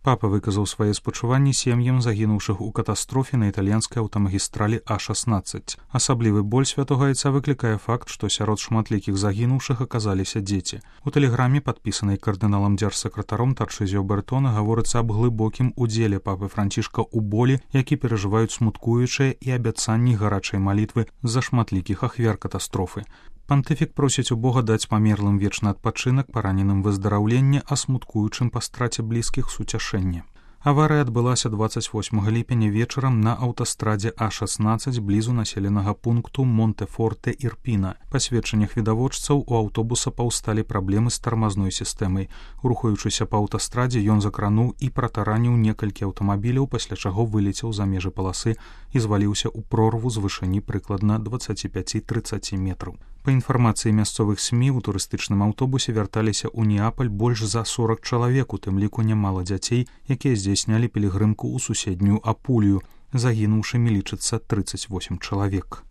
Папа выказаў свае спачуванні сем'ям загінуўшых у катастрофе на італьянскай аўтамагістралі А-16. Асаблівы боль святога айца выклікае факт, што сярод шматлікіх загінуўшых аказаліся дзеці. У тэлеграме, падпісанай кардыналам дзяржсакратаром Тарчызіо Бертона, гаворыцца аб глыбокім удзеле папы Францішка ў болі, які перажываюць смуткуючыя, і абяцанні гарачай малітвы за шматлікіх ахвяр катастрофы. Пантыфік просіць у Бога даць памерлым вечны адпачынак, параненым выздараўленне, а смуткуючым па страце блізкіх суцяшэнне. Аварыя адбылася 28 ліпеня вечарам на аўтастрадзе А-16 блізу населенага пункту Монтефорте-Ірпіна. Па сведчаннях відавочцаў, у аўтобуса паўсталі праблемы з тармазной сістэмай. Рухаючыся па аўтастрадзе, ён закрануў і пратараніў некалькі аўтамабіляў, пасля чаго вылецеў за межы паласы і зваліўся ў прорву з вышыні прыкладна 25-30 метраў. Па інфармацыі мясцовых СМІ, у турыстычным аўтобусе вярталіся ў Неапаль больш за 40 чалавек, у тым ліку нямала дзяцей, якія здзейснялі пілігрымку ў суседнюю Апулію. Загінуўшымі лічыцца 38 чалавек.